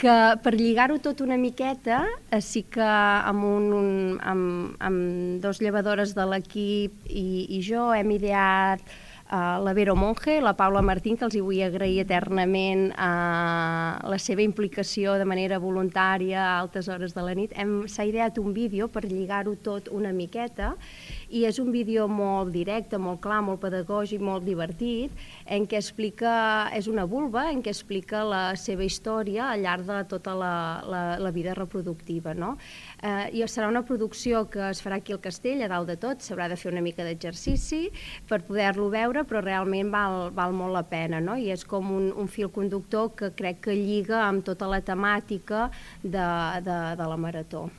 que per lligar-ho tot una miqueta, sí que amb dos llevadores de l'equip i jo hem ideat la Vero Monge, la Paula Martín, que els hi vull agrair eternament la seva implicació de manera voluntària a altes hores de la nit. S'ha ideat un vídeo per lligar-ho tot una miqueta i és un vídeo molt directe, molt clar, molt pedagògic, molt divertit, en què és una vulva, en què explica la seva història al llarg de tota la vida reproductiva, no? I serà una producció que es farà aquí al castell, a dalt de tot, s'haurà de fer una mica d'exercici per poder-lo veure, però realment val molt la pena, no? I és com un fil conductor que crec que lliga amb tota la temàtica de la marató.